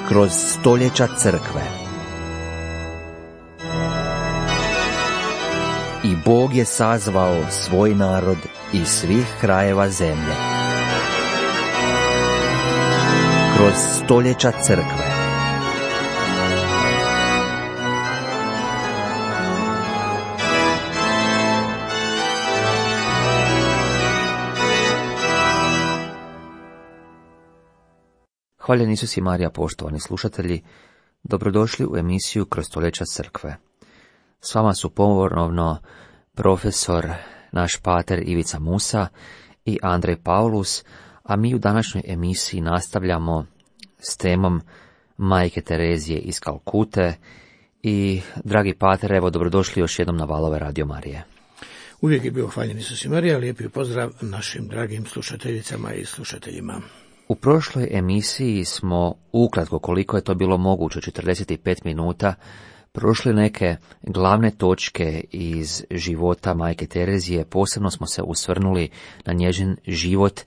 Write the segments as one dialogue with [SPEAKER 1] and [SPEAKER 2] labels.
[SPEAKER 1] kroz stoljeća crkve. I Bog je sazvao svoj narod iz svih krajeva zemlje. Kroz stoljeća crkve. Hvaljen Isus i Marija, poštovani slušatelji, dobrodošli u emisiju Kroz stoljeća crkve. S vama su ponovno profesor, naš pater Ivica Musa i Andrej Paulus, a mi u današnjoj emisiji nastavljamo s temom Majke Terezije iz Kalkute. I, dragi pater, evo, dobrodošli još jednom na valove Radio Marije.
[SPEAKER 2] Uvijek je bio hvaljen Isus i Marija, lijepi pozdrav našim dragim slušateljicama i slušateljima.
[SPEAKER 1] U prošloj emisiji smo, ukratko koliko je to bilo moguće, 45 minuta, prošli neke glavne točke iz života Majke Terezije. Posebno smo se usvrnuli na njezin život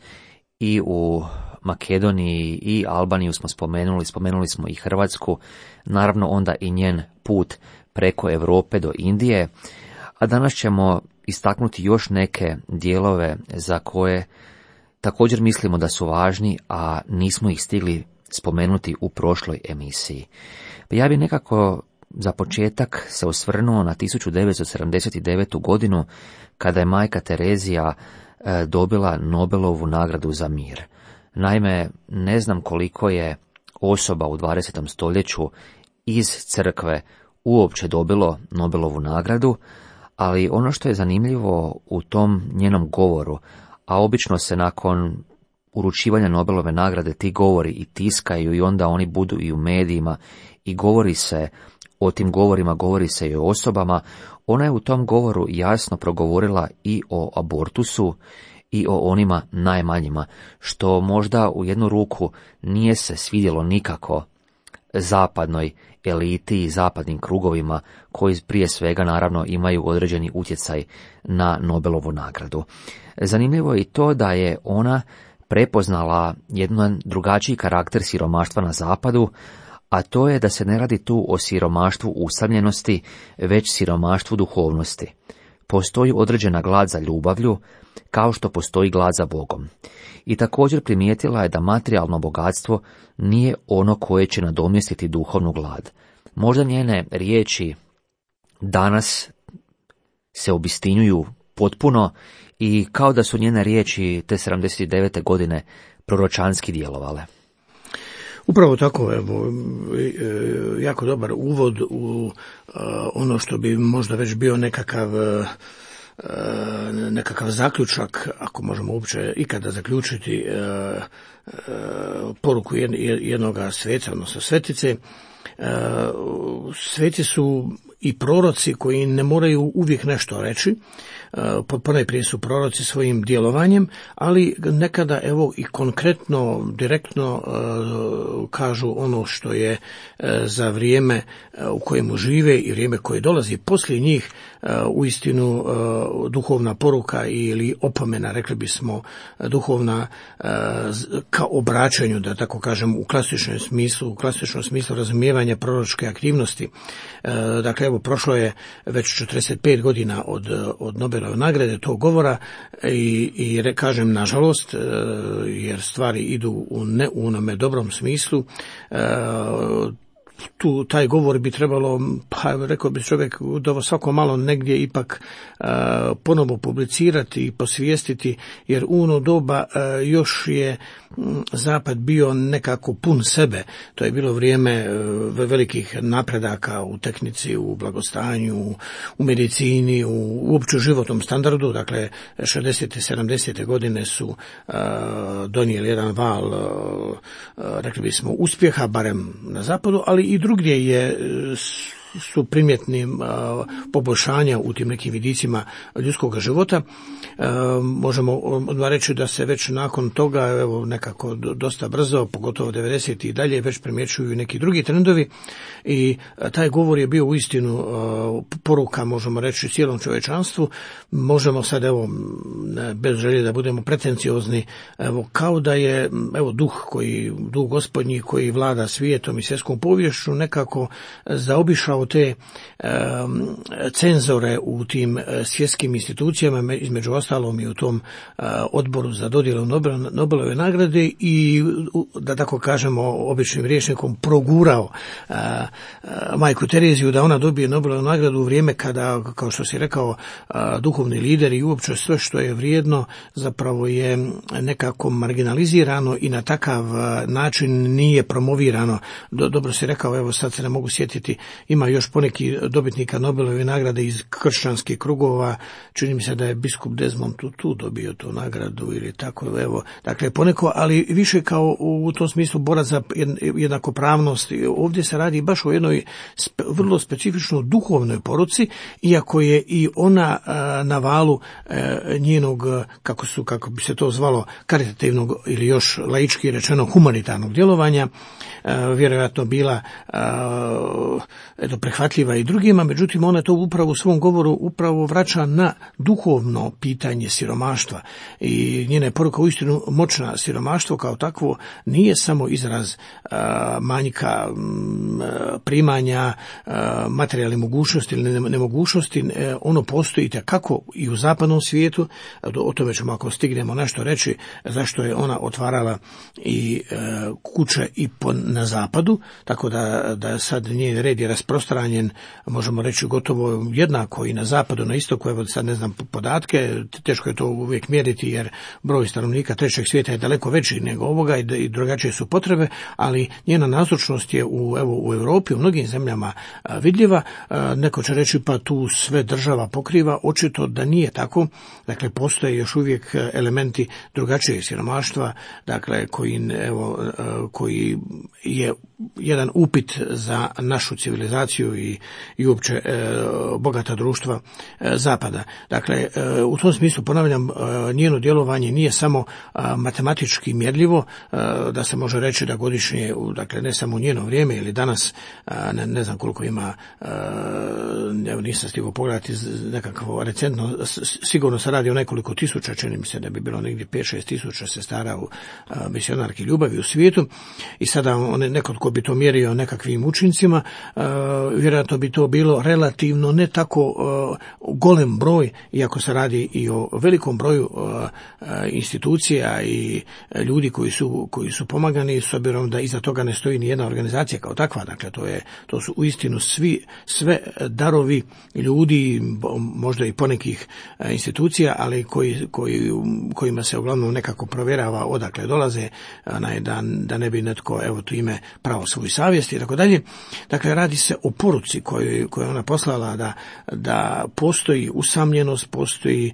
[SPEAKER 1] i u Makedoniji i Albaniju smo spomenuli smo i Hrvatsku, naravno onda i njen put preko Europe do Indije, a danas ćemo istaknuti još neke dijelove za koje također mislimo da su važni, a nismo ih stigli spomenuti u prošloj emisiji. Ja bih nekako za početak se osvrnuo na 1979. godinu, kada je Majka Terezija dobila Nobelovu nagradu za mir. Naime, ne znam koliko je osoba u 20. stoljeću iz crkve uopće dobilo Nobelovu nagradu, ali ono što je zanimljivo u tom njenom govoru, a obično se nakon uručivanja Nobelove nagrade ti govori i tiskaju i onda oni budu i u medijima i govori se o tim govorima, govori se i o osobama. Ona je u tom govoru jasno progovorila i o abortusu i o onima najmanjima, što možda u jednu ruku nije se svidjelo nikako zapadnoj eliti i zapadnim krugovima, koji prije svega naravno imaju određeni utjecaj na Nobelovu nagradu. Zanimljivo je i to da je ona prepoznala jedan drugačiji karakter siromaštva na zapadu, a to je da se ne radi tu o siromaštvu usamljenosti, već siromaštvu duhovnosti. Postoji određena glad za ljubavlju, kao što postoji glad za Bogom. I također primijetila je da materijalno bogatstvo nije ono koje će nadomjestiti duhovnu glad. Možda njene riječi danas se obistinjuju potpuno i kao da su njene riječi te 79. godine proročanski djelovale.
[SPEAKER 2] Upravo tako, evo, jako dobar uvod u ono što bi možda već bio nekakav zaključak, ako možemo uopće ikada zaključiti poruku jednog sveca, odnosno svetice. Sveci su i proroci koji ne moraju uvijek nešto reći, ponajprije su proroci svojim djelovanjem, ali nekada evo i konkretno, direktno kažu ono što je za vrijeme u kojemu žive i vrijeme koje dolazi poslije njih uistinu duhovna poruka ili opomena, rekli bismo duhovna ka obraćanju, da tako kažem, u klasičnom smislu razumijevanja proročke aktivnosti. Dakle, evo, prošlo je već 45 godina od Nobelove nagrade tog govora i kažem nažalost, jer stvari idu u onome dobrom smislu. Taj govor bi trebalo, pa rekao bi čovjek, da svako malo negdje ipak ponovo publicirati i posvijestiti, jer u ono doba još je Zapad bio nekako pun sebe. To je bilo vrijeme velikih napredaka u tehnici, u blagostanju, u medicini, u uopće životnom standardu. Dakle, 60. 70. godine su donijeli jedan val, rekli bismo, uspjeha, barem na zapadu, ali i drugdje je su primjetni poboljšanja u tim nekim vidicima ljudskog života. Možemo odmah reći da se već nakon toga, evo nekako dosta brzo, pogotovo 90. i dalje, već primjećuju neki drugi trendovi i taj govor je bio uistinu poruka, možemo reći, cijelom čovječanstvu. Možemo sad, evo, bez želje da budemo pretenciozni, evo, kao da je, evo, duh gospodnji koji vlada svijetom i svjetskom poviješću nekako zaobišao te cenzore u tim svjetskim institucijama, između ostalom i u tom odboru za dodjelu Nobelove nagrade, i, da tako kažemo običnim rječnikom, progurao majku Tereziju da ona dobije Nobelovu nagradu u vrijeme kada, kao što si rekao, duhovni lideri i uopće sve što je vrijedno zapravo je nekako marginalizirano i na takav način nije promovirano. Dobro si rekao, evo sad se ne mogu sjetiti, ima još poneki dobitnika Nobelove nagrade iz kršćanskih krugova, čini mi se da je biskup Desmond Tutu dobio tu nagradu ili tako, evo, dakle poneko, ali više kao u tom smislu borac za jednakopravnost. Ovdje se radi baš o jednoj vrlo specifično duhovnoj poruci, iako je i ona na valu njenog, kako bi se to zvalo, karitativnog ili još laički rečeno humanitarnog djelovanja, vjerojatno bila prihvatljiva i drugima, međutim ona to upravo u svom govoru upravo vraća na duhovno pitanje siromaštva i njena je poruka uistinu moćna. Siromaštvo kao takvo nije samo izraz manjka primanja, materijalne mogućnosti ili nemogućnosti, ono postoji itekako i u zapadnom svijetu. O tome ćemo, ako stignemo, nešto reći, zašto je ona otvarala i kuće i na zapadu, tako da sad njen red je rasprostranjen, možemo reći, gotovo jednako i na zapadu, na istoku. Evo sad ne znam podatke, teško je to uvijek mjeriti jer broj stanovnika trećeg svijeta je daleko veći nego ovoga i drugačije su potrebe, ali njena nazočnost je u Europi, u mnogim zemljama vidljiva. Neko će reći pa tu sve država pokriva, očito da nije tako. Dakle, postoje još uvijek elementi drugačijeg siromaštva, dakle koji je jedan upit za našu civilizaciju i uopće bogata društva zapada. Dakle, u tom smislu, ponavljam, njeno djelovanje nije samo matematički mjerljivo, da se može reći da godišnje, dakle ne samo u njeno vrijeme ili danas, ne znam koliko ima, nisam stigao pogledati nekakvo recentno, sigurno se radi o nekoliko tisuća, čini mi se da bi bilo negdje 5-6 tisuća sestara u misionarki ljubavi u svijetu, i sada neko tko bi to mjerio nekakvim učincima, vjerojatno bi to bilo relativno ne tako golem broj, iako se radi i o velikom broju institucija i ljudi koji su pomagani, s obzirom da iza toga ne stoji ni jedna organizacija kao takva. Dakle, to su uistinu sve darovi ljudi, možda i ponekih institucija, ali kojima se uglavnom nekako provjerava odakle dolaze, da ne bi netko, evo tu ime, pravo svoju savjest i tako dalje. Dakle, radi se o poruci koju je ona poslala, da postoji usamljenost, postoji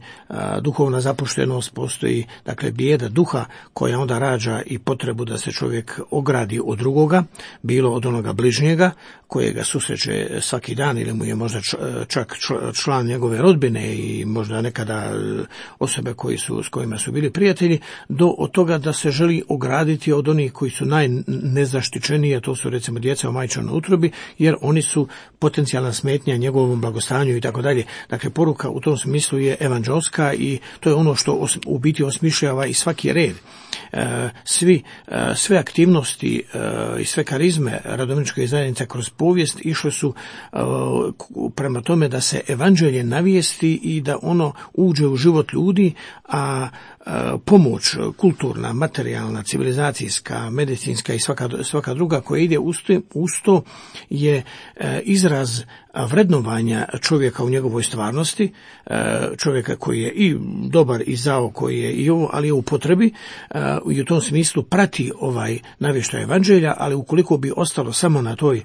[SPEAKER 2] duhovna zapuštenost, postoji, dakle, bijeda duha koja onda rađa i potrebu da se čovjek ogradi od drugoga, bilo od onoga bližnjega kojega susreće svaki dan ili mu je možda čak član njegove rodbine i možda nekada osobe s kojima su bili prijatelji, od toga da se želi ograditi od onih koji su najnezaštićeniji, a to su recimo djeca u majčinoj utrobi, jer oni su potencijalna smetnja njegovom blagostanju i tako dalje. Dakle, poruka u tom smislu je evanđelska i to je ono što u biti osmišljava i svaki red. Sve aktivnosti i sve karizme radovničke zajednice kroz povijest išle su prema tome da se evanđelje navijesti i da ono uđe u život ljudi, a pomoć kulturna, materijalna, civilizacijska, medicinska i svaka druga koja ide uz to je izraz vrednovanja čovjeka u njegovoj stvarnosti, čovjeka koji je i dobar i zao, koji je i ovo, ali je u potrebi i u tom smislu prati ovaj navještaj evanđelja, ali ukoliko bi ostalo samo na toj,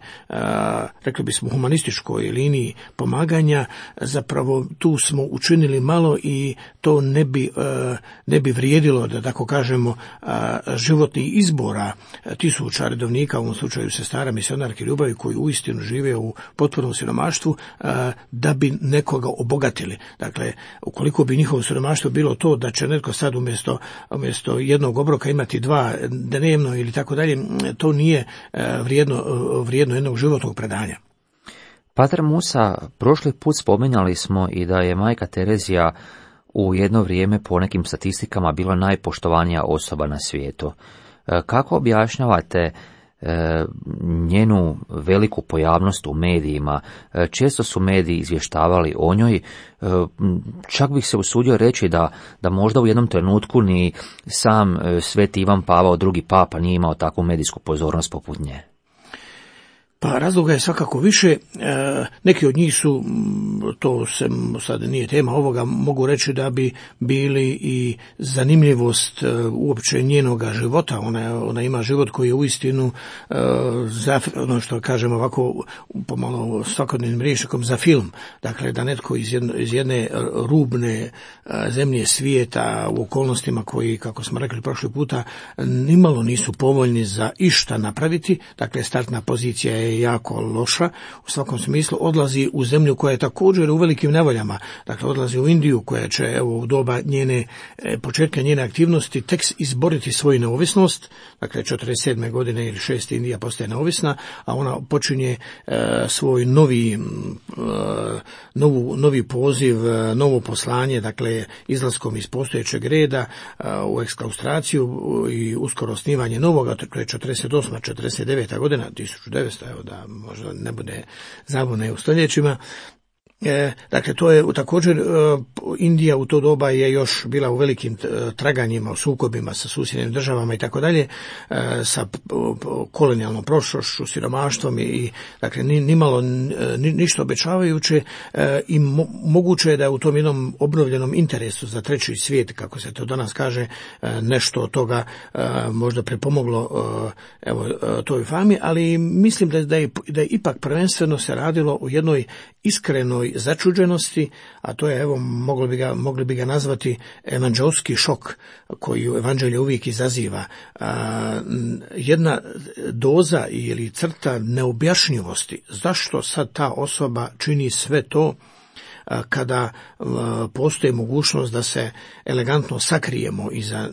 [SPEAKER 2] rekli bismo, humanističkoj liniji pomaganja, zapravo tu smo učinili malo i to ne ne bi vrijedilo, da tako kažemo, životnih izbora tisuća redovnika, u ovom slučaju sestara misionarke ljubavi, koji uistinu žive u potpunom siromaštvu, da bi nekoga obogatili. Dakle, ukoliko bi njihovo siromaštvo bilo to da će netko sad umjesto jednog obroka imati 2 dnevno ili tako dalje, to nije vrijedno jednog životnog predanja.
[SPEAKER 1] Pater Musa, prošli put spominjali smo i da je majka Terezija u jedno vrijeme po nekim statistikama bila najpoštovanija osoba na svijetu. Kako objašnjavate njenu veliku pojavnost u medijima? Često su mediji izvještavali o njoj, čak bih se usudio reći da možda u jednom trenutku ni sam Sveti Ivan Pavao II. Papa nije imao takvu medijsku pozornost poput nje.
[SPEAKER 2] Pa razloga je svakako više, neki od njih su, to se sad nije tema ovoga, mogu reći da bi bili i zanimljivost uopće njenoga života. Ona ima život koji je uistinu, ono što kažemo ovako pomalo svakodnevnim rječnikom, za film. Dakle, da netko iz jedne rubne zemlje svijeta u okolnostima koji, kako smo rekli prošli puta, nimalo nisu povoljni za išta napraviti, dakle startna pozicija je jako loša, u svakom smislu odlazi u zemlju koja je također u velikim nevoljama, dakle odlazi u Indiju koja će u doba početka njene aktivnosti tek izboriti svoju neovisnost, dakle 47. godine ili 6. Indija postaje neovisna, a ona počinje svoj novi poziv, novo poslanje, dakle izlaskom iz postojećeg reda u eksklaustraciju i uskoro osnivanje novoga, to je 48. 49. godina, 1900, da možda ne bude zabune u stoljećima. Dakle, to je također, Indija u to doba je još bila u velikim traganjima, u sukobima sa susjednim državama i tako dalje, sa kolonijalnom prošlošću, siromaštvom i dakle nimalo ništa obećavajuće, i moguće je da u tom jednom obnovljenom interesu za treći svijet, kako se to danas kaže, nešto od toga možda pripomoglo toj fami, ali mislim da je ipak prvenstveno se radilo o jednoj iskrenoj začuđenosti, a to je, mogli bi ga nazvati evanđelski šok koji u evanđelju uvijek izaziva. Jedna doza ili crta neobjašnjivosti. Zašto sad ta osoba čini sve to kada postoji mogućnost da se elegantno sakrijemo iza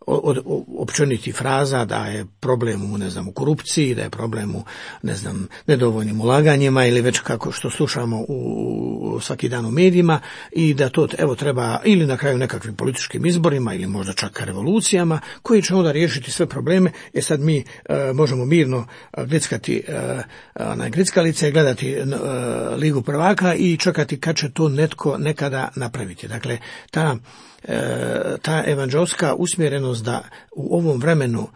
[SPEAKER 2] od općenitih fraza da je problem u korupciji, da je problem u nedovoljnim ulaganjima ili već kako što slušamo u svaki dan u medijima, i da to treba ili na kraju nekakvim političkim izborima ili možda čak revolucijama koji će onda riješiti sve probleme. Sad mi možemo mirno grickati grickalice, gledati Ligu prvaka i čekati kad će to netko nekada napraviti. Dakle, ta evanđelska usmjerenost da u ovom vremenu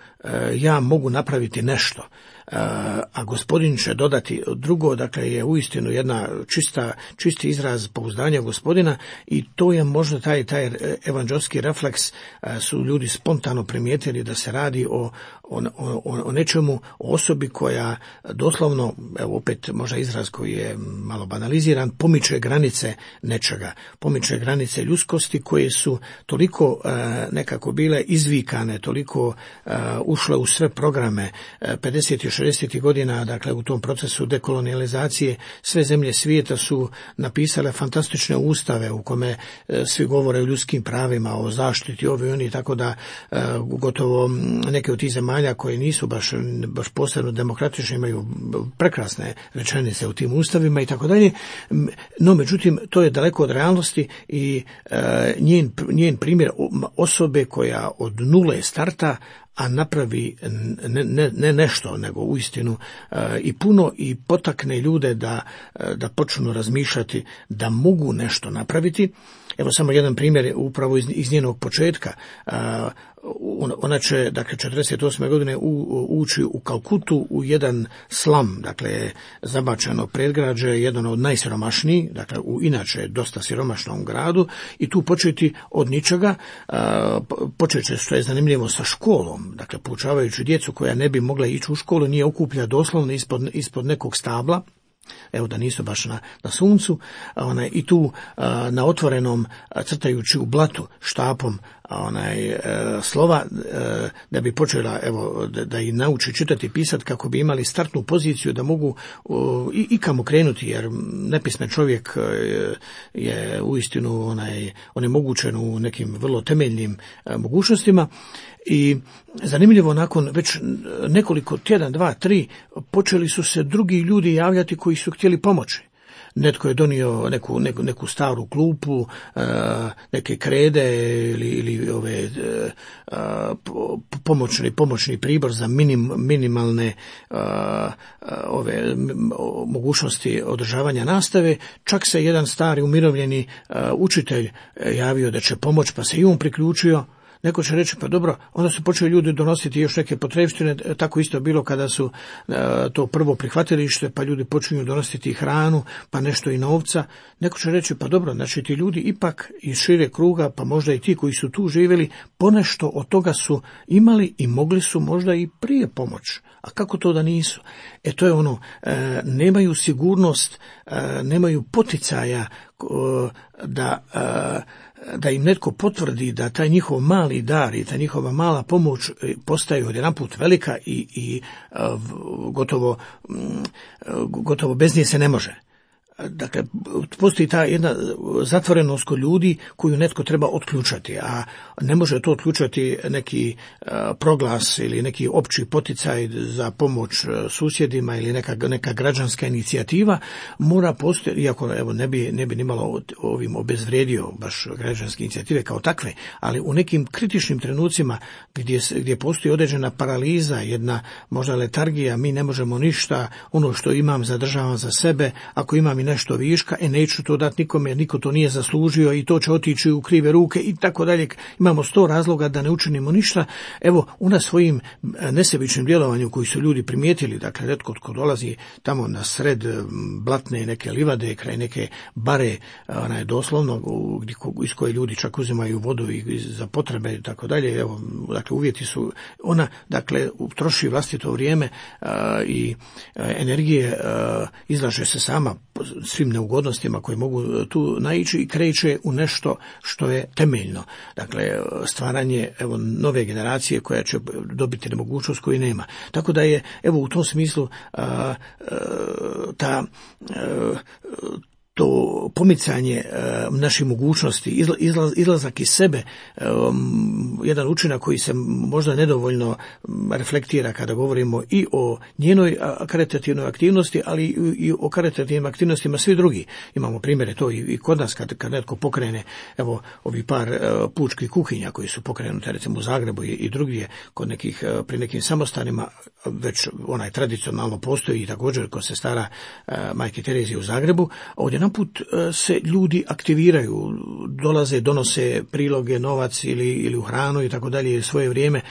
[SPEAKER 2] ja mogu napraviti nešto, a gospodin će dodati drugo, dakle je uistinu jedna čisti izraz pouzdanja gospodina, i to je možda taj evanđelski refleks, su ljudi spontano primijetili da se radi o nečemu, o osobi koja doslovno, opet možda izraz koji je malo banaliziran, pomiče granice nečega, pomiče granice ljudskosti koje su toliko nekako bile izvikane, toliko ušle u sve programe 50. i 60. godina, dakle u tom procesu dekolonijalizacije sve zemlje svijeta su napisale fantastične ustave u kome svi govore o ljudskim pravima, o zaštiti ovi oni, tako da gotovo neke od tih zemalja koje nisu baš posebno demokratične imaju prekrasne rečenice u tim ustavima i tako dalje. No, međutim, to je daleko od realnosti i njen primjer osobe koja od nule starta, a napravi ne nešto, nego uistinu i puno, i potakne ljude da počnu razmišljati da mogu nešto napraviti. Evo samo jedan primjer upravo iz njenog početka. Ona će, dakle, 48. godine ući u Kalkutu u jedan slam, dakle, zabačeno predgrađe, jedan od najsiromašnijih, dakle, u inače dosta siromašnom gradu, i tu početi od ničega, počet će, što je zanimljivo, sa školom, dakle, poučavajući djecu koja ne bi mogla ići u školu, nije okuplja doslovno ispod nekog stabla, da nisu baš na suncu, i tu na otvorenom, crtajući u blatu štapom slova da bi počela da i nauči čitati i pisati kako bi imali startnu poziciju da mogu i kamo krenuti, jer nepismen čovjek je uistinu onemogućen u nekim vrlo temeljnim mogućnostima. I zanimljivo, nakon već nekoliko tjedan, 2, 3, počeli su se drugi ljudi javljati koji su htjeli pomoći. Netko je donio neku staru klupu, neke krede ili ove pomoćni pribor za minimalne ove mogućnosti održavanja nastave. Čak se jedan stari umirovljeni učitelj javio da će pomoći, pa se i on priključio. Neko će reći, pa dobro, onda su počeli ljudi donositi još neke potrepštine, tako isto bilo kada su to prvo prihvatilište, pa ljudi počinju donositi hranu, pa nešto i novca. Neko će reći, pa dobro, znači ti ljudi ipak iz šire kruga, pa možda i ti koji su tu živjeli, ponešto od toga su imali i mogli su možda i prije pomoći. A kako to da nisu? To je nemaju sigurnost, nemaju poticaja da im netko potvrdi da taj njihov mali dar i ta njihova mala pomoć postaju odjedanput velika i gotovo bez nje se ne može. Dakle, postoji ta jedna zatvorenost kod ljudi koju netko treba otključati, a ne može to otključati neki proglas ili neki opći poticaj za pomoć susjedima ili neka građanska inicijativa. Mora postojati, iako ne bi nimalo ovim obezvrijedio baš građanske inicijative kao takve, ali u nekim kritičnim trenucima gdje postoji određena paraliza, jedna možda letargija, mi ne možemo ništa, ono što imam zadržavam za sebe, ako imam i nešto viška, neću to dati nikome, niko to nije zaslužio i to će otići u krive ruke i tako dalje. Imamo 100 razloga da ne učinimo ništa. Una svojim nesebičnim djelovanjem koji su ljudi primijetili, dakle, netko tko dolazi tamo na sred blatne neke livade, kraj neke bare, doslovno, iz koje ljudi čak uzimaju vodu i za potrebe i tako dalje. Dakle, uvjeti su, troši vlastito vrijeme i energije, izlaže se sama svim neugodnostima koje mogu tu naići i kreće u nešto što je temeljno. Dakle, stvaranje nove generacije koja će dobiti nemogućnost koju nema. Tako da je u tom smislu to pomicanje naših mogućnosti, izlazak iz sebe, jedan učinak koji se možda nedovoljno reflektira kada govorimo i o njenoj karitativnoj aktivnosti, ali i o karitativnim aktivnostima svi drugi. Imamo primjere to i kod nas kad netko pokrene, ovi par pučkih kuhinja koji su pokrenute recimo u Zagrebu i drugdje pri nekim samostanima, već onaj tradicionalno postoji i također kod sestara Majke Terezije u Zagrebu. Ovdje naput se ljudi aktiviraju, dolaze, donose priloge, novac ili u hranu i tako dalje, svoje vrijeme,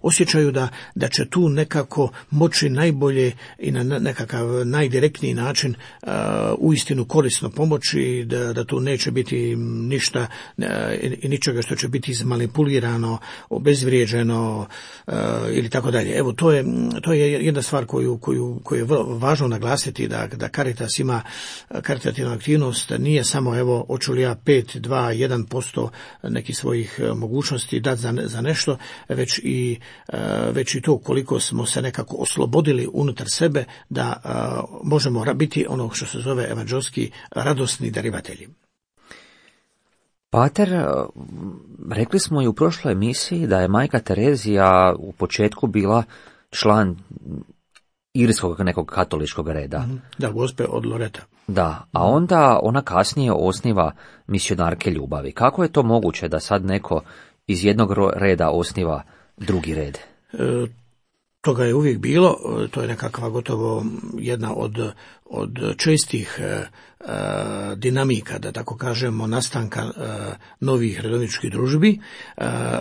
[SPEAKER 2] osjećaju da će tu nekako moći najbolje i na nekakav najdirektniji način uistinu korisno pomoći, da tu neće biti ništa i ničega što će biti izmanipulirano, obezvrijeđeno ili tako dalje. To je jedna stvar koju je važno naglasiti, da Caritas ima karitativna aktivnost, nije samo hoću li ja 5, 2, 1% nekih svojih mogućnosti dati za nešto, već i to koliko smo se nekako oslobodili unutar sebe da možemo biti ono što se zove evanđelski radosni darivatelji.
[SPEAKER 1] Pater, rekli smo i u prošloj emisiji da je Majka Terezija u početku bila član irskog nekog katoličkog reda.
[SPEAKER 2] Da, gospe od Loreta.
[SPEAKER 1] Da, a onda ona kasnije osniva misionarke ljubavi. Kako je to moguće da sad neko iz jednog reda osniva drugi red?
[SPEAKER 2] Toga je uvijek bilo, to je nekakva gotovo jedna od čestih dinamika, da tako kažemo, nastanka novih redovničkih družbi.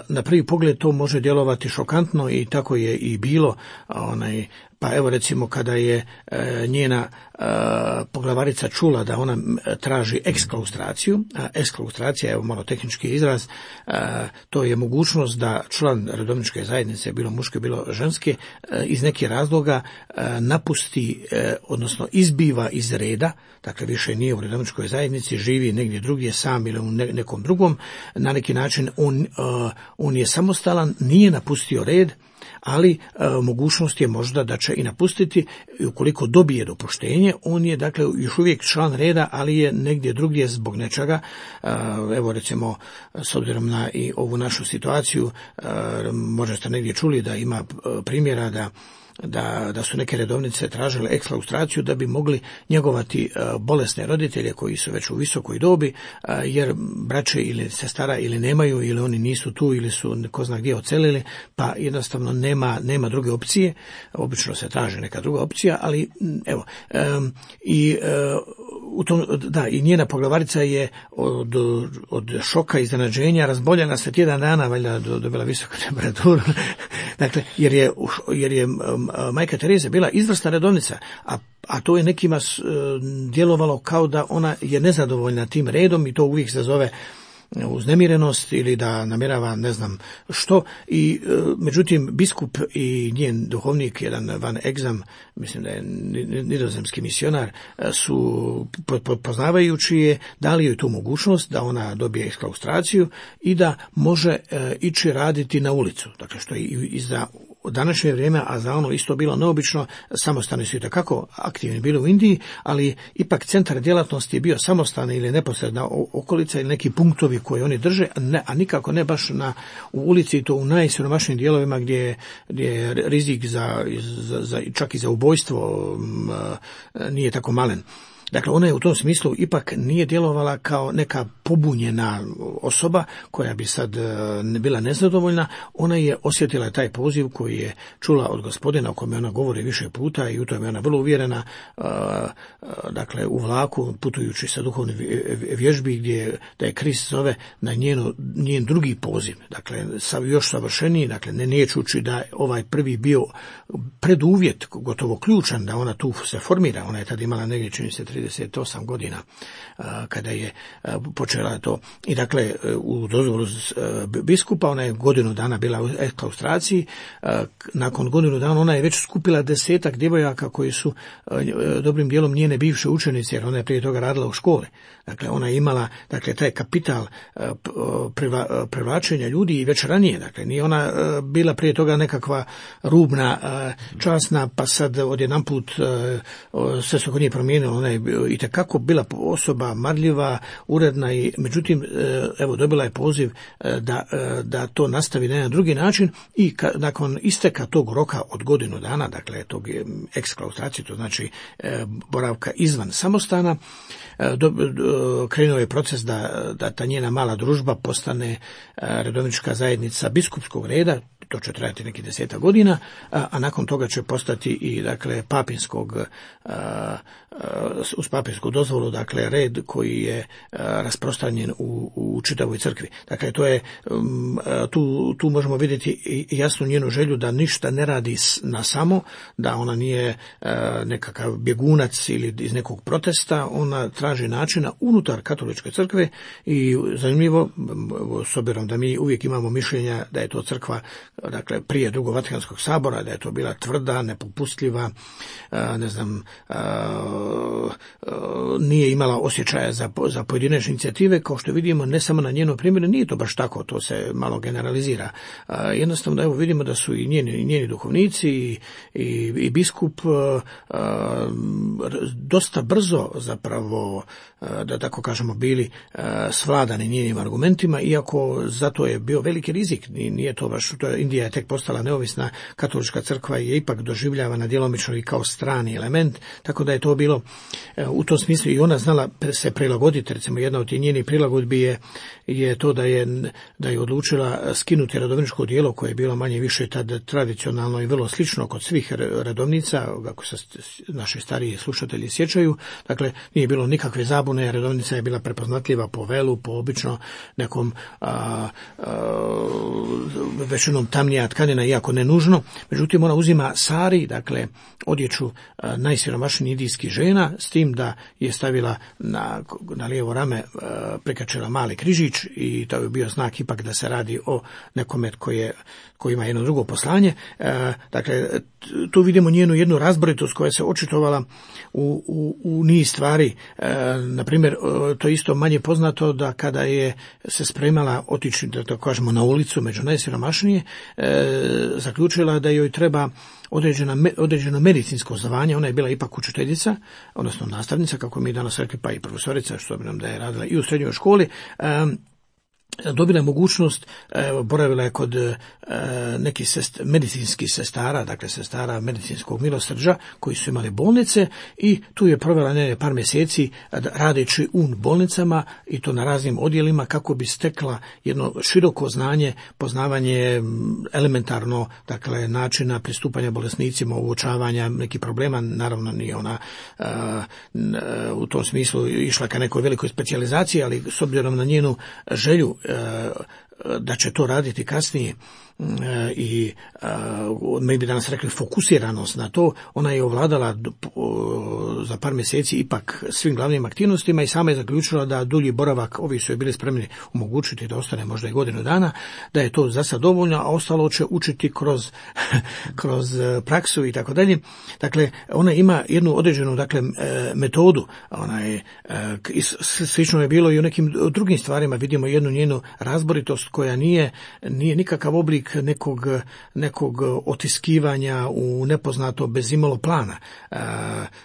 [SPEAKER 2] Na prvi pogled to može djelovati šokantno i tako je i bilo. Pa recimo kada je njena poglavarica čula da ona traži eksklaustraciju, eksklaustracija je malo tehnički izraz, to je mogućnost da član redovničke zajednice, bilo muške, bilo ženske, iz nekih razloga napusti, odnosno izbjegne izbiva iz reda, dakle više nije u redovničkoj zajednici, živi negdje drugdje sam ili u nekom drugom, na neki način on je samostalan, nije napustio red, ali mogućnost je možda da će i napustiti i ukoliko dobije dopuštenje, on je dakle još uvijek član reda, ali je negdje drugdje zbog nečega. Evo recimo, s obzirom na i ovu našu situaciju, možda ste negdje čuli da ima primjera da su neke redovnice tražile ekslaustraciju da bi mogli njegovati bolesne roditelje koji su već u visokoj dobi, jer braće ili sestara ili nemaju, ili oni nisu tu, ili su ko zna gdje odselili, pa jednostavno nema druge opcije. Obično se traži neka druga opcija, ali evo, i njena poglavarica je od šoka i iznenađenja razboljena se tjedan dana, valjda dobila visoku temperaturu, dakle, jer je majka Tereza bila izvrsna redovnica, a to je nekima djelovalo kao da ona je nezadovoljna tim redom i to uvijek se zove uznemirenost ili da namjerava ne znam što. I međutim biskup i njen duhovnik, jedan Van Egzam, mislim da je nizozemski misionar, su poznavajući je dali joj tu mogućnost da ona dobije ekslaustraciju i da može ići raditi na ulicu, dakle što je i za današnje vrijeme, a za ono isto bilo neobično. Samostani su itekako aktivni bili u Indiji, ali ipak centar djelatnosti je bio samostan ili neposredna okolica ili neki punktovi koje oni drže, a nikako ne baš u ulici, to u najsiromašnijim dijelovima gdje je rizik čak i za ubojstvo nije tako malen. Dakle, ona je u tom smislu ipak nije djelovala kao neka pobunjena osoba koja bi sad bila nezadovoljna. Ona je osjetila taj poziv koji je čula od Gospodina, o kome ona govori više puta i u tome je ona vrlo uvjerena, dakle u vlaku putujući sa duhovne vježbi da je Krist zove na njen drugi poziv, dakle još savršeniji, dakle ne čući da ovaj prvi bio preduvjet, gotovo ključan da ona tu se formira. Ona je tad imala negdje, čini se, 38 godina kada je počela to. I dakle, u dozvolu biskupa ona je godinu dana bila u ekslaustraciji. Nakon godinu dana ona je već skupila 10-ak djevojaka koji su dobrim dijelom njene bivše učenice, jer ona je prije toga radila u školi. Dakle, ona je imala taj kapital privlačenja ljudi i već ranije. Dakle, nije ona bila prije toga nekakva rubna, časna, pa sad odjedanput sve se kod nje promijenilo. Ona je itekako bila osoba marljiva, uredna i međutim, evo, dobila je poziv da to nastavi na jedan drugi način i nakon isteka tog roka od godinu dana, dakle, tog eksklaustracije, to znači boravka izvan samostana, krenuo je proces da ta njena mala družba postane redovnička zajednica biskupskog reda. To će trajati neki 10 godina, a nakon toga će postati i dakle uz papinsku dozvolu, dakle red koji je rasprostranjen u čitavoj crkvi. Dakle, to je tu možemo vidjeti jasnu njenu želju da ništa ne radi na samo, da ona nije nekakav bjegunac ili iz nekog protesta, ona traži načina unutar katoličke crkve. I zanimljivo, s obzirom da mi uvijek imamo mišljenja da je to crkva, dakle prije Drugog Vatikanskog sabora, da je to bila tvrda, nepopustljiva, nije imala osjećaja za pojedinačne inicijative, kao što vidimo ne samo na njenom primjeru, nije to baš tako, to se malo generalizira. Jednostavno, evo, vidimo da su i njeni duhovnici i biskup dosta brzo zapravo, da tako kažemo, bili svladani njenim argumentima, iako zato je bio veliki rizik. Nije to baš, Indija je tek postala neovisna, katolička crkva je ipak doživljavana djelomično i kao strani element, tako da je to bilo u tom smislu i ona znala se prilagoditi. Recimo, jedna od njenih prilagodbi je to da je odlučila skinuti redovničko djelo koje je bilo manje više tad tradicionalno i vrlo slično kod svih redovnica, ako se naši stariji slušatelji sjećaju. Dakle, nije bilo nikakve zabune, rodovnica je bila prepoznatljiva po velu, po obično nekom većinom tamnija tkanina, iako ne nužno. Međutim, ona uzima sari, dakle odjeću najsiromašnijih indijskih žena, s tim da je stavila na lijevo rame, prikačila mali križić, i to je bio znak ipak da se radi o nekome koji ima jedno drugo poslanje. Dakle, tu vidimo njenu jednu razboritost koja se očitovala u niz stvari. Na primjer, to je isto manje poznato da kada je se spremala otići, da to kažemo, na ulicu među najsiromašnije, zaključila da joj treba određeno medicinsko zvanje. Ona je bila ipak učiteljica, odnosno nastavnica, kako mi danas rekli, pa i profesorica, što bi nam da je radila i u srednjoj školi. Dobila je mogućnost, boravila je kod nekih medicinskih sestara, dakle sestara medicinskog milosrđa koji su imali bolnice, i tu je provela par mjeseci radeći u bolnicama, i to na raznim odjelima, kako bi stekla jedno široko znanje, poznavanje elementarno, dakle načina pristupanja bolesnicima, uočavanja nekih problema. Naravno nije ona u tom smislu išla ka nekoj velikoj specijalizaciji, ali s obzirom na njenu želju da će to raditi kasnije i mi bi danas rekli fokusiranost na to, ona je ovladala za par mjeseci ipak svim glavnim aktivnostima i sama je zaključila da dulji boravak, ovi su je bili spremni omogućiti da ostane možda i godinu dana, da je to za sad dovoljno, a ostalo će učiti kroz praksu i tako dalje. Dakle, ona ima jednu određenu, dakle, metodu. Ona je, slično je bilo i u nekim drugim stvarima. Vidimo jednu njenu razboritost koja nije nikakav oblik nekog otiskivanja u nepoznato bez imalo plana.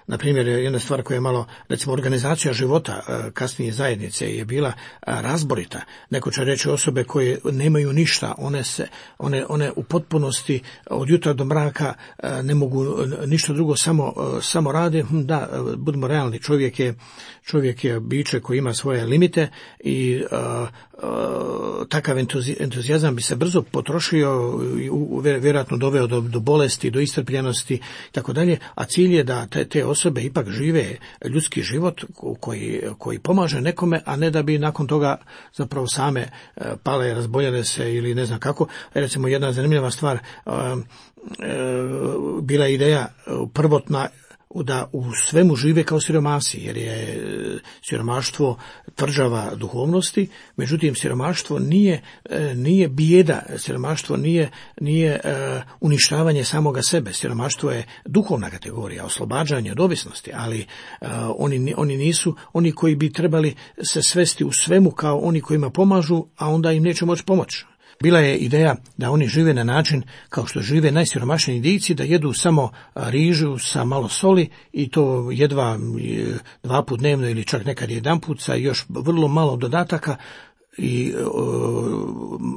[SPEAKER 2] Na primjer, jedna stvar koja je malo, recimo, organizacija života kasnije zajednice je bila razborita. Neko će reći osobe koje nemaju ništa, one u potpunosti od jutra do mraka ne mogu ništa drugo, samo rade. Da, budemo realni, čovjek je biće koji ima svoje limite i takav entuzijazam bi se brzo potrošio i vjerojatno doveo do bolesti, do iscrpljenosti i tako dalje, a cilj je da te osobe ipak žive ljudski život koji pomaže nekome, a ne da bi nakon toga zapravo same pale, razboljele se ili ne znam kako. Recimo, jedna zanimljiva stvar, bila je ideja prvotna da u svemu žive kao siromasi, jer je siromaštvo tvrđava duhovnosti. Međutim, siromaštvo nije bijeda, siromaštvo nije uništavanje samoga sebe. Siromaštvo je duhovna kategorija, oslobađanje od ovisnosti, ali oni nisu oni koji bi trebali se svesti u svemu kao oni kojima pomažu, a onda im neće moći pomoći. Bila je ideja da oni žive na način kao što žive najsiromašniji Indijci, da jedu samo rižu sa malo soli, i to jedva 2 puta dnevno ili čak nekad 1 put sa još vrlo malo dodataka. I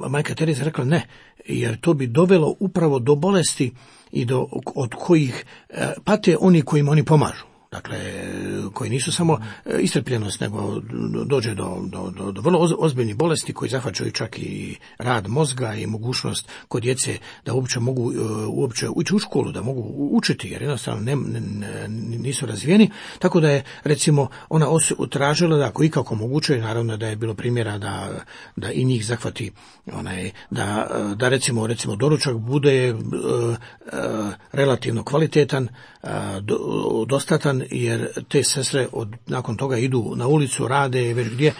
[SPEAKER 2] majka Tereza rekla ne, jer to bi dovelo upravo do bolesti i od kojih pate oni kojima oni pomažu. Dakle, koji nisu samo iscrpljenost, nego dođe do vrlo ozbiljnih bolesti koji zahvaćaju čak i rad mozga i mogućnost kod djece da uopće mogu ući u školu, da mogu učiti, jer jednostavno nisu razvijeni. Tako da je, recimo, ona tražila da ako ikako moguće, naravno da je bilo primjera da i njih zahvati da recimo doručak bude relativno kvalitetan, dostatan, jer te sestre nakon toga idu na ulicu, rade već gdje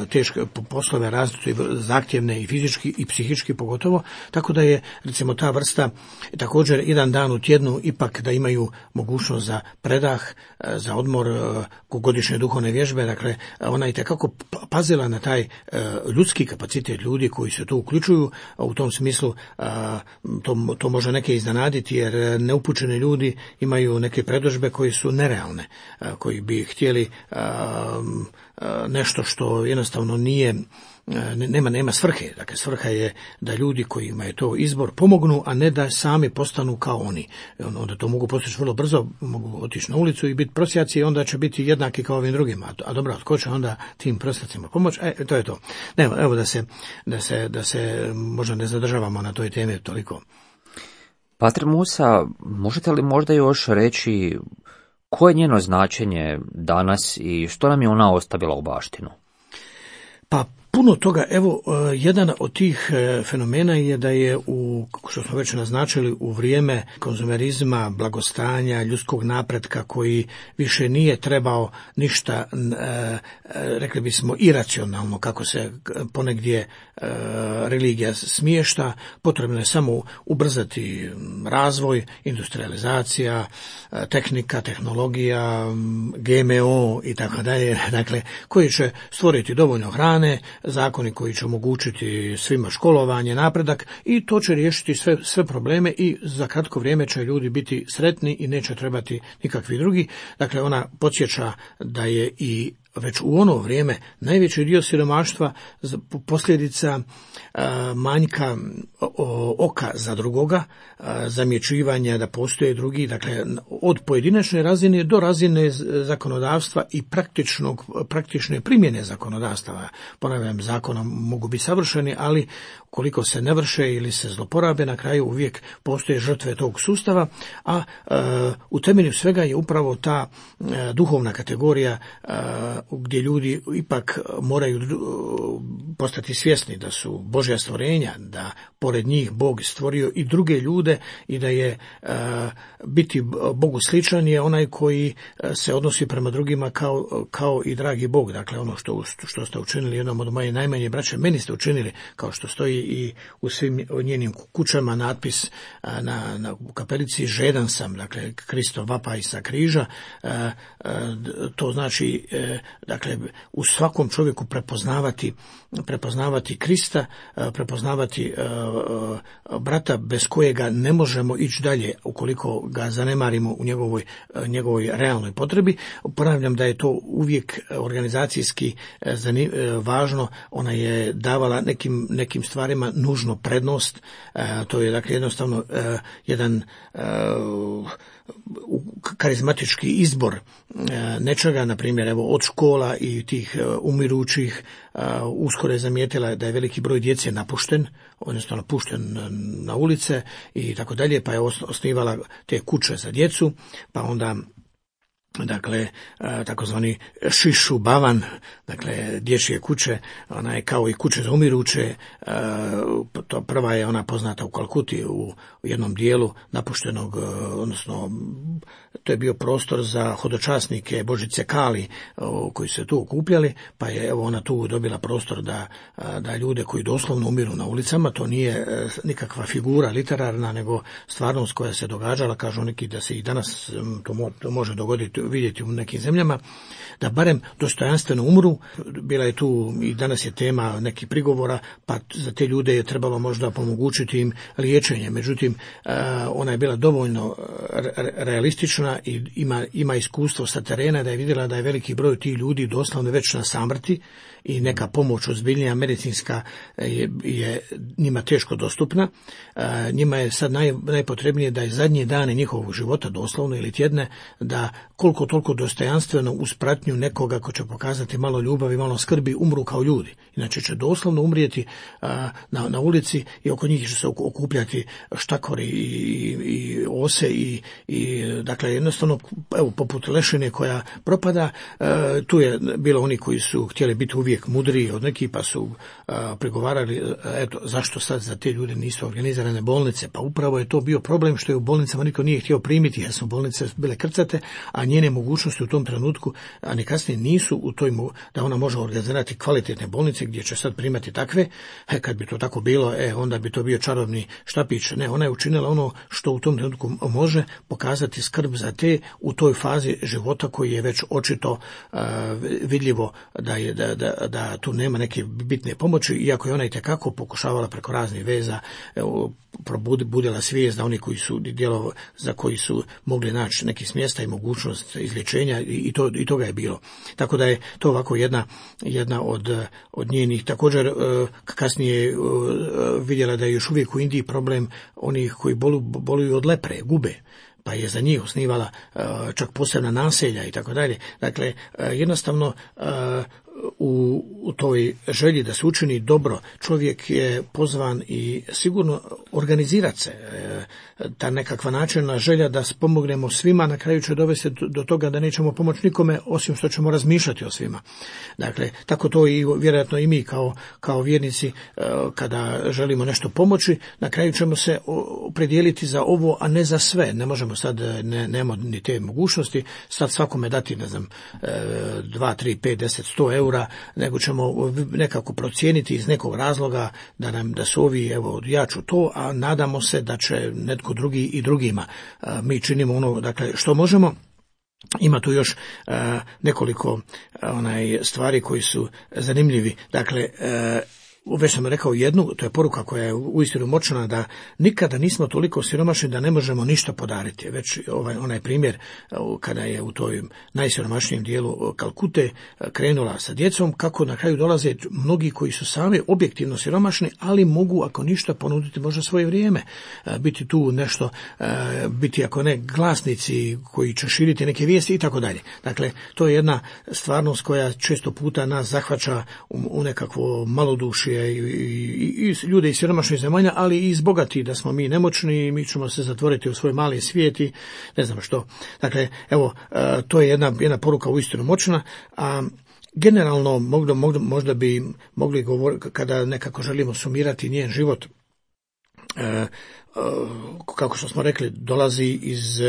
[SPEAKER 2] teške poslove, različite, zahtjevne i fizički i psihički pogotovo, tako da je, recimo, ta vrsta također 1 dan u tjednu ipak da imaju mogućnost za predah, za odmor, godišnje duhovne vježbe. Dakle, ona je itekako pazila na taj ljudski kapacitet ljudi koji se tu uključuju. U tom smislu to može neke iznenaditi, jer neupućeni ljudi imaju neke predodžbe koji su nerealne, koji bi htjeli nešto što jednostavno nema svrhe. Dakle, svrha je da ljudi kojima je to izbor pomognu, a ne da sami postanu kao oni. Onda to mogu postići vrlo brzo, mogu otići na ulicu i biti prosjaci, i onda će biti jednaki kao ovim drugima. A dobro, tko će onda tim prosjacima pomoći? To je to. Evo da se možda ne zadržavamo na toj temi toliko.
[SPEAKER 1] Pater Musa, možete li možda još reći Koje je njeno značenje danas i što nam je ona ostavila u baštinu?
[SPEAKER 2] Pa puno toga, evo, jedan od tih fenomena je da je, što smo već naznačili, u vrijeme konzumerizma, blagostanja, ljudskog napretka koji više nije trebao ništa, rekli bismo, iracionalno, kako se ponegdje religija smješta, potrebno je samo ubrzati razvoj, industrializacija, tehnika, tehnologija, GMO i tako dalje, dakle, koji će stvoriti dovoljno hrane, zakoni koji će omogućiti svima školovanje, napredak, i to će riješiti sve probleme i za kratko vrijeme će ljudi biti sretni i neće trebati nikakvi drugi. Dakle, ona podsjeća da je i već u ono vrijeme najveći dio siromaštva posljedica manjka oka za drugoga, zamjećivanja da postoje drugi, dakle od pojedinačne razine do razine zakonodavstva i praktične primjene zakonodavstva. Ponavljam, zakonom mogu biti savršeni, ali koliko se ne vrše ili se zloporabe, na kraju uvijek postoje žrtve tog sustava, a u temelju svega je upravo ta duhovna kategorija gdje ljudi ipak moraju postati svjesni da su Božja stvorenja, da pored njih Bog stvorio i druge ljude i da je biti Bogu sličan je onaj koji se odnosi prema drugima kao i dragi Bog. Dakle, ono što ste učinili jednom od moje najmanje braće, meni ste učinili, kao što stoji i u svim njenim kućama natpis na kapelici, žedan sam, dakle Kristov vapaj sa križa. To znači, dakle, u svakom čovjeku prepoznavati Krista, prepoznavati brata bez kojega ne možemo ići dalje ukoliko ga zanemarimo u njegovoj realnoj potrebi. Ponavljam da je to uvijek organizacijski važno. Ona je davala nekim stvarima nužno prednost. To je, dakle, jednostavno jedan karizmatički izbor nečega, na primjer, evo, od škola i tih umirućih. Uskoro je zamijetila da je veliki broj djece napušten, odnosno napušten na ulice i tako dalje, pa je osnivala te kuće za djecu, pa onda, dakle, takozvani šišu bavan, dakle, dječje kuće, ona je kao i kuće za umiruće. To prva je ona poznata u Kalkuti, u jednom dijelu napuštenog, odnosno to je bio prostor za hodočasnike Božice Kali koji se tu okupljali, pa je, evo, ona tu dobila prostor da ljude koji doslovno umiru na ulicama, to nije nikakva figura literarna, nego stvarnost koja se događala, kažu neki da se i danas to može dogoditi, vidjeti u nekim zemljama, da barem dostojanstveno umru. Bila je tu i danas je tema nekih prigovora, pa za te ljude je trebalo možda pomogućiti im liječenje. Međutim, ona je bila dovoljno realistična i ima iskustvo sa terena da je vidjela da je veliki broj tih ljudi doslovno već na samrti i neka pomoć ozbiljnija medicinska je njima teško dostupna. Njima je sad najpotrebnije da je zadnje dane njihovog života, doslovno ili tjedne, da koliko toliko dostojanstveno uz pratnju nekoga ko će pokazati malo ljubavi, malo skrbi, umru kao ljudi. Inače će doslovno umrijeti na ulici i oko njih će se okupljati štakori i ose i dakle, jednostavno, evo, poput lešine koja propada. Tu je bilo oni koji su htjeli biti uvijek mudriji od nekih, pa su pregovarali, eto, zašto sad za te ljude nisu organizirane bolnice. Pa upravo je to bio problem što je u bolnicama niko nije htio primiti, jer su bolnice bile krcate, a njene mogućnosti u tom trenutku, a ni kasnije, nisu u toj da ona može organizirati kvalitetne bolnice gdje će sad primati takve. Kad bi to tako bilo, onda bi to bio čarobni štapić. Ne, ona je učinila ono što u tom trenutku može, pokazati skrb za te u toj fazi života koji je već očito vidljivo da tu nema neke bitne pomoći, iako je ona itekako pokušavala preko raznih veza probudila svijest da oni koji su za koji su mogli naći neki smjesta i mogućnost izlječenja i toga je bilo. Tako da je to ovako jedna od njenih. Također kasnije vidjela da je još uvijek u Indiji problem onih koji boluju od lepre, gube, pa je za njih osnivala čak posebna naselja i tako dalje. Dakle, jednostavno u toj želji da se učini dobro, čovjek je pozvan i sigurno organizirati se. Ta nekakva načelna želja da pomognemo svima na kraju će dovesti do toga da nećemo pomoći nikome osim što ćemo razmišljati o svima. Dakle, tako to i vjerojatno i mi kao vjernici kada želimo nešto pomoći, na kraju ćemo se opredijeliti za ovo, a ne za sve. Ne možemo sad, nemamo ni te mogućnosti, sad svakome dati, ne znam, 2, 3, 5, 10, 100 eura, nego ćemo nekako procijeniti iz nekog razloga da su ovi, evo, ja ću to, a nadamo se da će netko drugi i drugima. Mi činimo ono, dakle, što možemo. Ima tu još nekoliko stvari koji su zanimljivi. Dakle, već sam rekao jednu, to je poruka koja je uistinu moćna, da nikada nismo toliko siromašni da ne možemo ništa podariti. Već onaj primjer kada je u toj najsiromašnijem dijelu Kalkute krenula sa djecom, kako na kraju dolaze mnogi koji su sami objektivno siromašni, ali mogu ako ništa ponuditi možda svoje vrijeme, biti tu nešto, biti ako ne glasnici koji će širiti neke vijesti i tako dalje. Dakle, to je jedna stvarnost koja često puta nas zahvaća u nekakvo malodušje i ljude iz siromašnih zemalja, ali i iz bogatih, da smo mi nemoćni i mi ćemo se zatvoriti u svoj mali svijet i ne znam što. Dakle, evo, to je jedna poruka uistinu moćna, a generalno možda bi mogli govoriti, kada nekako želimo sumirati njen život, kako što smo rekli, dolazi iz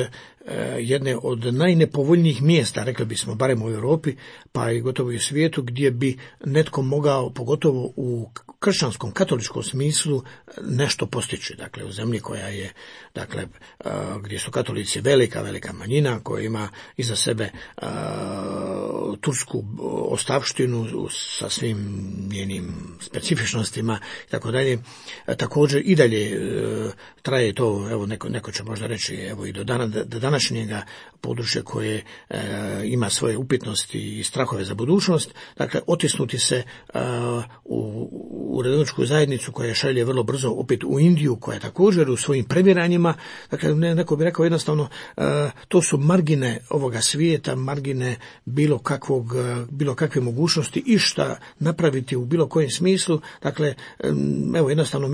[SPEAKER 2] jedne od najnepovoljnijih mjesta, rekli bismo, barem u Europi, pa i gotovo i u svijetu, gdje bi netko mogao, pogotovo u kršćanskom, katoličkom smislu, nešto postići. Dakle, u zemlji koja je, dakle, gdje su katolici velika manjina, koja ima iza sebe tursku ostavštinu sa svim njenim specifičnostima i tako dalje. Također i dalje traje to, evo neko će možda reći, evo i do današnjega područja koje ima svoje upitnosti i strahove za budućnost. Dakle, otisnuti se u redovničku zajednicu koja šalje vrlo brzo opet u Indiju, koja je također u svojim previranjima. Dakle, neko bi rekao jednostavno, to su margine ovoga svijeta, margine bilo kakve mogućnosti i šta napraviti u bilo kojem smislu. Dakle, evo, jednostavno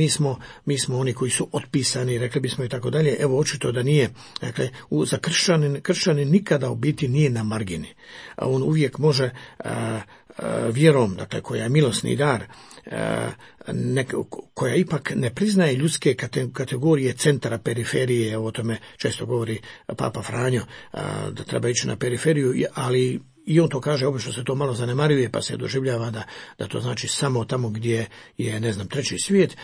[SPEAKER 2] mi smo oni koji su otpisani, rekli bismo i tako dalje. Evo, očito da nije. Dakle, za kršćanin nikada u biti nije na margini. On uvijek može vjerom, dakle, koja je milosni dar, koja ipak ne priznaje ljudske kategorije centra, periferije, o tome često govori Papa Franjo, da treba ići na periferiju, ali i on to kaže, obično se to malo zanemaruje, pa se doživljava da to znači samo tamo gdje je, ne znam, treći svijet.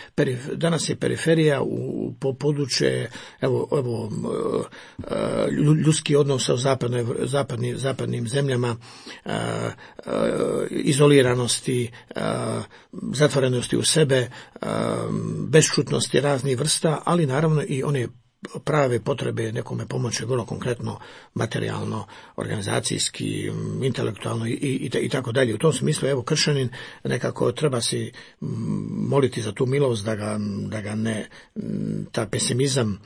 [SPEAKER 2] Danas je periferija u područje, evo ljudski odnos u zapadnim zemljama, izoliranosti, zatvorenosti u sebe, bešćutnosti raznih vrsta, ali naravno i one prave potrebe nekome pomoći, vrlo konkretno, materijalno, organizacijski, intelektualno i tako dalje. U tom smislu, evo, kršćanin nekako treba si moliti za tu milost, da ga ne, ta pesimizam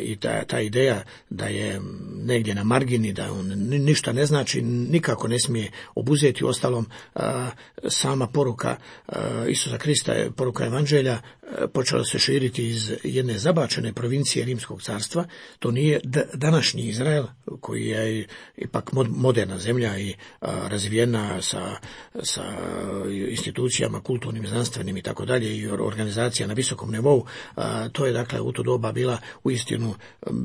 [SPEAKER 2] i ta ideja da je negdje na margini, da on ništa ne znači, nikako ne smije obuzeti. Ostalom, sama poruka Isusa Krista, poruka Evanđelja, počela se širiti iz jedne zabačene provincije Rimskog carstva. To nije današnji Izrael, koji je ipak moderna zemlja i razvijena sa institucijama kulturnim, znanstvenim i tako dalje, i organizacija na visokom nivou. To je, dakle, u to doba bila uistinu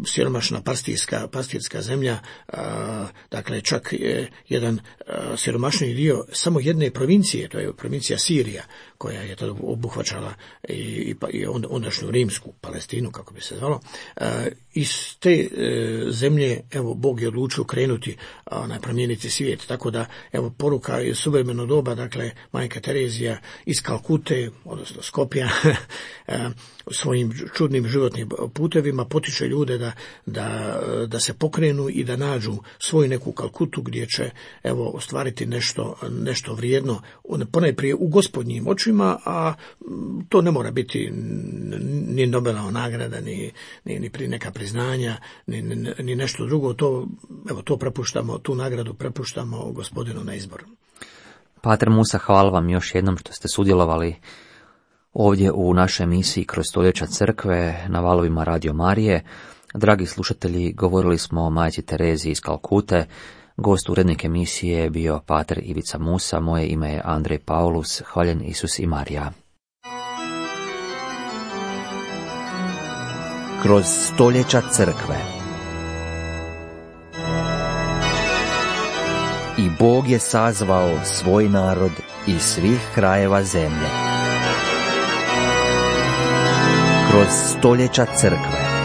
[SPEAKER 2] siromašna pastirska zemlja, dakle, čak jedan siromašniji dio samo jedne provincije, to je provincija Sirija, koja je tada obuhvaćala i ondašnju rimsku Palestinu, kako bi se zvalo. Iz te zemlje, evo, Bog je odlučio krenuti promijeniti svijet, tako da, evo, poruka je suvremeno doba, dakle, majka Terezija iz Kalkute, odnosno Skopja, svojim čudnim životnim putevima potiče ljude da se pokrenu i da nađu svoju neku Kalkutu gdje će, evo, ostvariti nešto vrijedno, ponajprije u Gospodnjim očima, a to ne mora biti ni Nobelova nagrada, ni neka priznanja, ni nešto drugo. To prepuštamo, tu nagradu prepuštamo Gospodinu na izbor.
[SPEAKER 1] Pater Musa, hvala vam još jednom što ste sudjelovali ovdje u našoj emisiji Kroz stoljeća crkve na valovima Radio Marije. Dragi slušatelji, govorili smo o majci Tereziji iz Kalkute. Gost urednik emisije je bio pater Ivica Musa. Moje ime je Andrej Paulus. Hvaljen Isus i Marija.
[SPEAKER 3] Kroz stoljeća crkve. I Bog je sazvao svoj narod iz svih krajeva zemlje. Kroz stoljeća crkve.